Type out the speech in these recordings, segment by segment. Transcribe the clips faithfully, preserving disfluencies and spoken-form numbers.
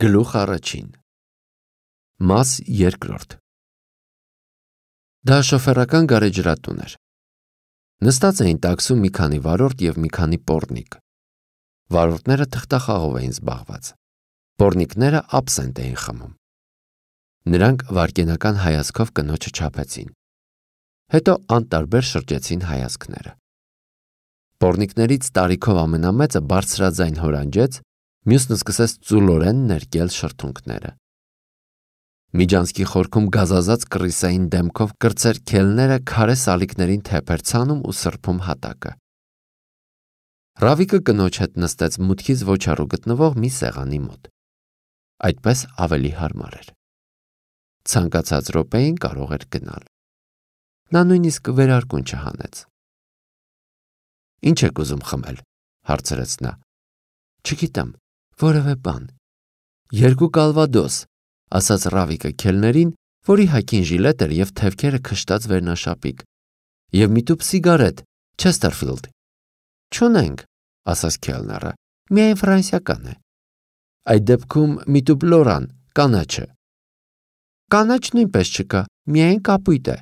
Գլուխ առաջին Մաս երկրորդ Դա շոֆերական գարեջրատուն էր։ Նստած էին տաքսում մի քանի վարորդ և մի քանի պոռնիկ։ Վարորդները թղթախաղով էին զբաղված։ Պոռնիկները աբսենտ էին խմում։ Նրանք վայրկենական հայացքով կնոջը չափեցին։ Հետո անտարբեր շրջեցին հայացքները։ Պոռնիկներից տարիքով ամենամեծը բարձրաձայն հորանջեց, մյուսն սկսեց ծուլորեն ներկել շրթունքները։ Միջանցքի խորքում գազազած կռիսային դեմքով կրտսեր քելները քարե սալիկներին թեփեր ցանում ու սրբում հատակը։ Ռավիկը կնոջ հետ նստեց մուտքից ոչ հեռու գտնվող մի սեղանի մոտ։ Այդպես ավելի հարմար էր։ Ցանկացած րոպեին կարող էր գնալ։ Նա նույնիսկ վերարկուն չհանեց։ Ինչ եք ուզում խմել, հարցրեց նա։ Չգիտեմ, որևէ բան։ Երկու կալվադոս, ասաց Ռավիկը քելներին, որի հագին ժիլետ էր և թևքերը քշտած վերնաշապիկ, և մի տուփ սիգարետ, Չեսթերֆիլդ։ Չունենք, ասաց քելները, միայն ֆրանսիական է։ Այդ դեպքում մի տուփ լորան, կանաչը։ Կանաչ նույնպես չկա, միայն կապույտ է։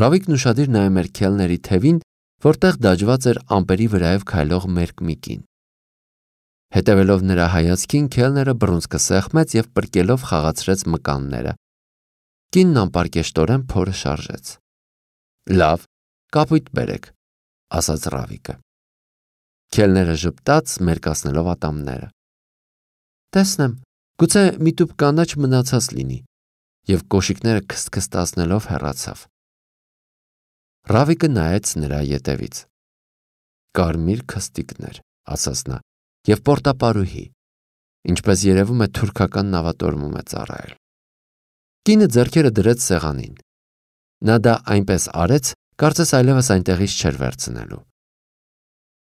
Ռավիկն ուշադիր նայում էր քելների թևին, որտեղ դաջված էր ամպերի վրայով քայլող մերկ մի կին։ Հետևելով նրա հայացքին, քելները բռունցքը սեղմեց և պրկելով խաղացրեց մկանները։ Կինն անպարկեշտորեն փորը շարժեց։ Լավ, կապույտ բերեք, ասաց Ռավիկը։ Քելները ժպտաց, մերկացնելով ատամները։ Տեսնեմ, գուցե մի տուփ կանաչ մնացած լինի, և կոշիկները քստքստացնելով հեռացավ։ Ռավիկը նայեց նրա ետևից։ Կարմիր քստիկներ, ասաց նա, և պորտապարուհի, ինչպես երևում է թուրքական նավատորմում է ծառայել։ Կինը ձեռքերը դրեց սեղանին։ Նա դա այնպես արեց, կարծես այլևս այնտեղից չէր վերցնելու։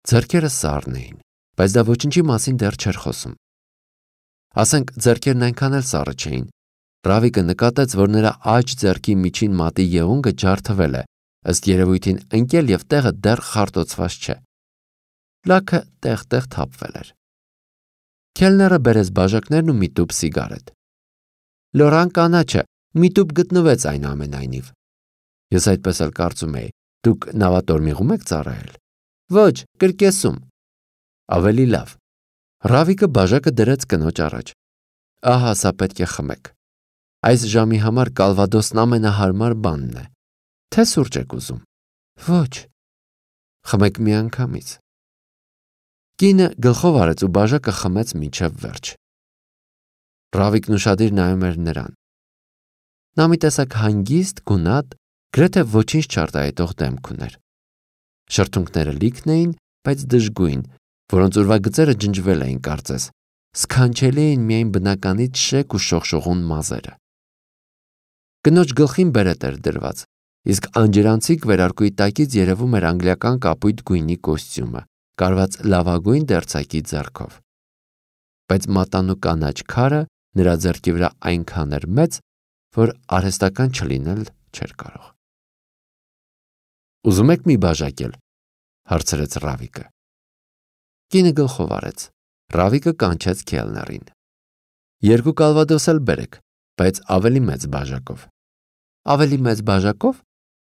Ձեռքերը սառն էին, բայց դա ոչինչի մասին դեռ չէր խոսում։ Ասենք ձեռքերն այնքան էլ սառը չէին։ Ռավիկը նկատեց, որ նրա աջ ձեռքի միջին մատի եղունգը ջարդվել է, ըստ երևույթին ընկել և տեղը դեռ խարտոցված չէ։ Լաքը տեղ-տեղ թափվել էր։ Քելները բերեց բաժակներն ու մի տուփ սիգարետ։ Լորան կանաչը, մի տուփ գտնվեց այնուամենայնիվ։ Ես այդպես էլ կարծում էի, դուք նավատորմիղում եք ծառայել։ Ոչ, կրկեսում։ Ավելի լավ։ Ռավիկը բաժակը դրեց կնոջ առաջ։ Ահա սա պետք է խմեք։ Այս ժամի համար կալվադոսն ամենահարմար բանն է։ Թե սուրճ եք ուզում։ Ոչ։ Խմեք միանգամից։ Կինը գլխով արեց ու բաժակը խմեց մինչև վերջ։ Ռավիկն ուշադիր նայում էր նրան։ Նա մի տեսակ հանգիստ, գունատ, գրեթե ոչինչ չարտահայտող դեմք ուներ։ Շրթունքները լիքն էին, բայց դժգույն, որոնց ուրվագծերը ջնջվել էին կարծես, սքանչելի էին միայն բնականից շեկ ու շողշողուն մազերը։ Կնոջ գլխին բերետ էր դրված, իսկ անջրանցիկ վերարկուի տակից երևում էր անգլիական կապույտ գույնի կոստյումը, կարված լավագույն դերձակի ձեռքով։ Բայց մատանու կանաչ քարը նրա ձեռքի վրա այնքան էր մեծ, որ արհեստական չլինել չէր կարող։ Ուզում եք մի բաժակ էլ, հարցրեց Ռավիկը։ Կինը գլխով արեց։ Ռավիկը կանչեց քելներին։ Երկու կալվադոս էլ բերեք, բայց ավելի մեծ բաժակով։ Ավելի մեծ բաժակով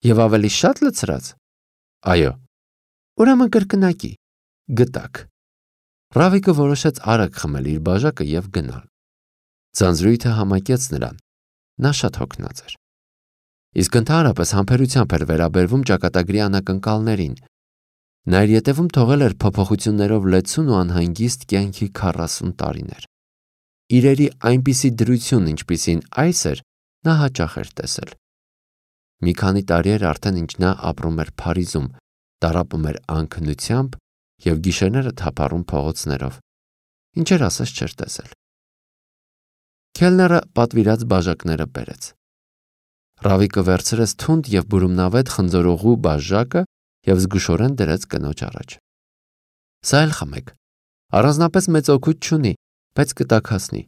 և ավելի շատ լցրած։ Այո։ Ուրեմն կրկնակի։ Գտակ։ Ռավիկը որոշեց արագ խմել իր բաժակը և գնալ։ Ձանձրույթը համակեց նրան։ Նա շատ հոգնած էր։ Իսկ ընդհանրապես համբերությամբ էր վերաբերվում ճակատագրի անակնկալներին։ Նա իր ետևում թողել էր փոփոխություններով լեցուն ու անհանգիստ կյանքի քառասուն տարիներ։ Իրերի այնպիսի դրություն, ինչպիսին այս էր, նա հաճախ էր տեսել։ Մի քանի տարի էր արդեն, ինչ նա ապրում էր Փարիզում, տառապում էր անքնությամբ և գիշերները թափառում փողոցներով, ինչեր ասես չէր տեսել։ Քելները պատվիրած բաժակները բերեց։ Ռավիկը վերցրեց թունդ և բուրումնավետ խնձորողու բաժակը և զգուշորեն դրեց կնոջ առաջ։ Սա էլ խմեք։ Առանձնապես մեծ օգուտ չունի, բայց կտաքացնի։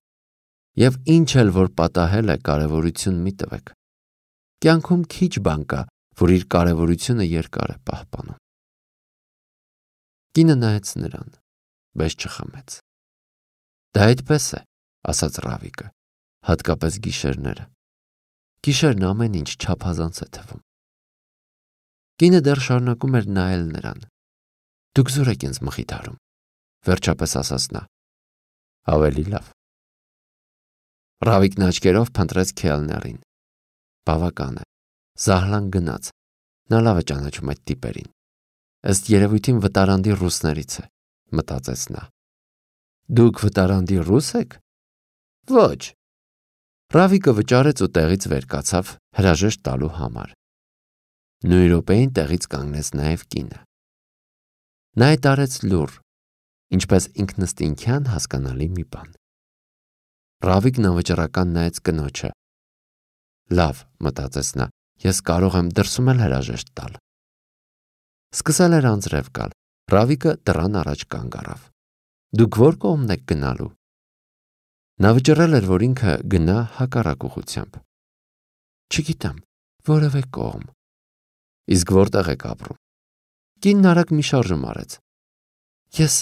Եվ ինչ էլ որ պատահել է, կարևորություն մի տվեք։ Կյանքում քիչ բան կա, որ իր կարևորությունը երկար է պահպանում։ Կինը նայեց նրան, բայց չխմեց։ Դա այդպես է, ասաց Ռավիկը, հատկապես գիշերները։ Գիշերն ամեն ինչ չափազանց է թվում։ Կինը դեռ շարունակում էր նայել նրան։ Դուք զուր եք ինձ մխիթարում, վերջապես ասաց նա։ Ավելի լավ։ Ռավիկն աչքերով փնտրեց Քելներին։ Բավական է, Զահլան գնաց, նա լավ է ճանաչում այդ տիպերին։ Ըստ երևույթին վտարանդի ռուսներից է, մտածեց նա։ Դուք վտարանդի ռուս եք։ Ոչ։ Ռավիկը վճարեց ու տեղից վեր կացավ հրաժեշտ տալու համար։ Նույն րոպեին տեղից կանգնեց նաև կինը։ Նա է տարեց լուր, ինչպես ինքնըստինքյան հասկանալի մի բան։ Ռավիկն անվճռական նայեց կնոջը։ Լավ, մտածեց նա, ես կարող եմ դրսում էլ հրաժեշտ տալ։ Սկսել էր անձրև գալ, Ռավիկը դռան առաջ կանգ առավ։ Դուք ո՞ր կողմն եք գնալու։ Նա վճռել էր, որ ինքը գնա հակառակ ուղղությամբ։ Չգիտեմ, որևէ կողմ։ Իսկ որտեղ եք ապրում։ Կինն արագ մի շարժում արեց։ Ես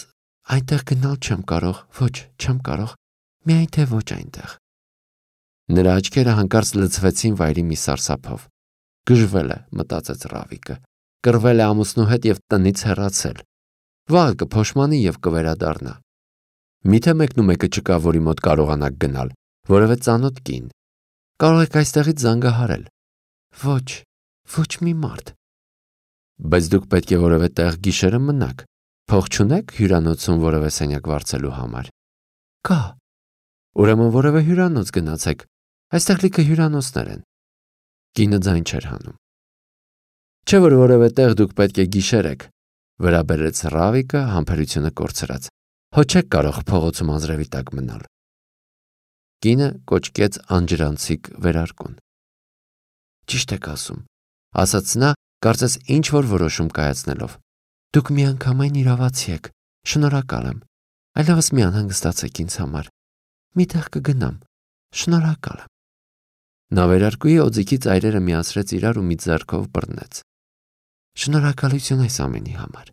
այնտեղ գնալ չեմ կարող, ոչ, չեմ կարող, միայն թե ոչ այնտեղ։ Նրա աչքերը հանկարծ լցվեցին վայրի մի սարսափով։ Գժվել է, մտածեց Ռավիկը, կռվել է ամուսնու հետ և տնից հեռացել։ Վաղը կփոշմանի և կվերադառնա։ Միթե մեկն ու մեկը չկա, որի մոտ կարողանաք գնալ, որևէ ծանոթ կին։ Կարող եք այստեղից զանգահարել։ Ոչ, ոչ մի մարդ։ Բայց դուք պետք է որևէ տեղ գիշերը մնաք։ Փող չունեք հյուրանոցում որևէ սենյակ վարձելու համար։ Կա։ Ուրեմն որևէ հյուրանոց գնացեք։ Այստեղ լիքը հյուրանոցներ են։ Կինը ձայն չէր հանում։ Չէ՞ որ որևէ տեղ դուք պետք է գիշերեք, վրա բերեց Ռավիկը համբերությունը կորցրած։ Հո չեք կարող փողոցում անձրևի տակ մնալ։ Կինը կոչկեց անջրանցիկ վերարկուն։ Ճիշտ եք ասում, ասաց նա, կարծես ինչ-որ որոշում կայացնելով։ Դուք միանգամայն իրավացի եք, շնորհակալ եմ, այլևս մի անհանգստացեք ինձ համար։ Մի տեղ կգնամ, շնորհակալ եմ։ Նա վերարկուի օձիքի ծայրերը միացրեց իրար ու մի ձեռքով բռնեց։ Շնորհակալություն այս ամենի համար։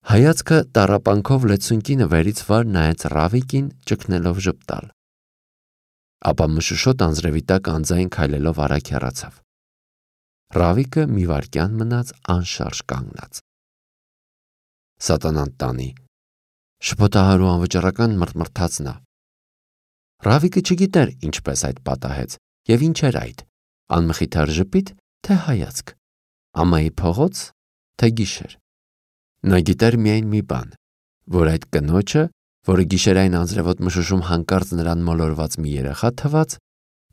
Հայացքը տառապանքով լեցուն կինը վերից վար նայեց Ռավիկին, ճգնելով ժպտալ։ Ապա մշուշոտ անձրևի տակ անձայն քայլելով արագ հեռացավ։ Ռավիկը մի վայրկյան մնաց անշարժ կանգնած։ Սատանան տանի, շփոթահար ու անվճռական մռթմռթաց նա։ Ռավիկը չգիտեր ինչպես այդ պատահեց և ինչ էր այդ, անմխիթար ժպիտ, թե հայացք, ամայի փողոց, թե գիշեր։ Նա գիտեր միայն մի բան, որ այդ կնոջը, որը գիշերային անձրևոտ մշուշում հանկարծ նրան մոլորված մի երեխա թվաց,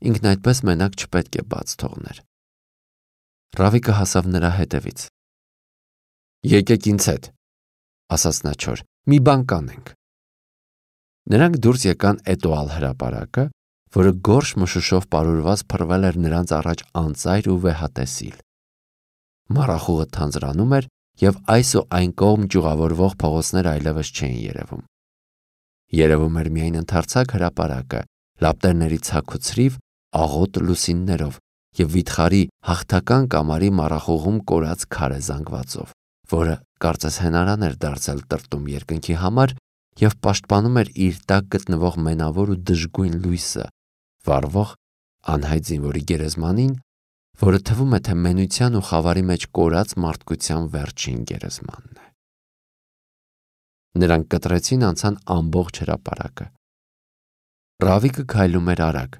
ինքն այդպես մենակ չպետք է բաց թողներ։ Ռավիկը հասավ նրա հետևից։ Եկեք ինձ հետ, ասաց նա չոր, մի բան կանենք։ Նրանք դուրս եկան Էտուալ հրապարակը, որը գորշ մշուշով պարուրված փռվել էր նրանց առաջ անծայր ու վեհատեսիլ։ Մառախուղը թանձրանում էր և այս ու այն կողմ ճյուղավորվող փողոցներ այլևս չէին երևում։ Երևում էր միայն ընդարձակ հրապարակը, լապտերների ցաք ու ցրիվ, աղոտ լուսիններով և վիթխարի հաղթական կամարի մառախուղում կորած քարե զանգվածով, որը կարծես հենարան էր դարձել տրտում երկնքի համար և պաշտպանում էր իր տակ գտնվող մենավոր ու դժգույն լույսը, վառվող անհայտ զինվորի գերեզմանին, որը թվում է, թե մենության ու խավարի մեջ կորած մարդկության վերջին գերեզմանն է։ Նրանք կտրեցին անցան ամբողջ հրապարակը։ Ռավիկը քայլում էր արագ։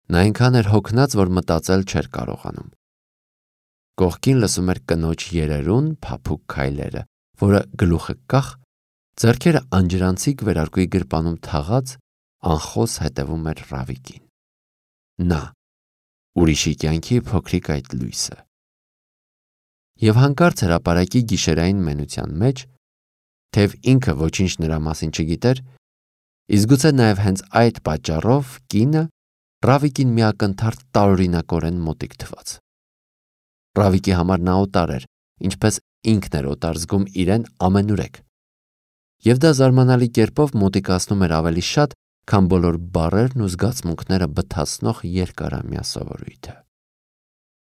Նա այնքան էր հոգնած, որ մտածել չէր կարողանում։ Կողքին լսում էր կնոջ երերուն փափուկ քայլերը, որը գլուխը կախ, ձեռքերը անջրանցիկ վերարկուի գրպանում թաղած, անխոս հետևում էր Ռավիկին։ Նա, ուրիշի կյանքի փոքրիկ այդ լույսը։ Եվ հանկարծ հրապարակի գիշերային մենության մեջ, թեև ինքը ոչինչ նրա մասին չգիտեր, իսկ գուցե նաև հենց այդ պատճառով կինը Ռավիկին մի ակնթարթ տարօրինակորեն մոտիկ թվաց։ Ռավիկի համար նա օտար էր, ինչպես ինքն էր օտար զգում իրեն ամենուրեք։ Եվ դա զարմանալի կերպով մոտիկացնում էր ավելի շատ, քան բոլոր բառերն ու զգացմունքները բթացնող երկարամյա սովորույթը։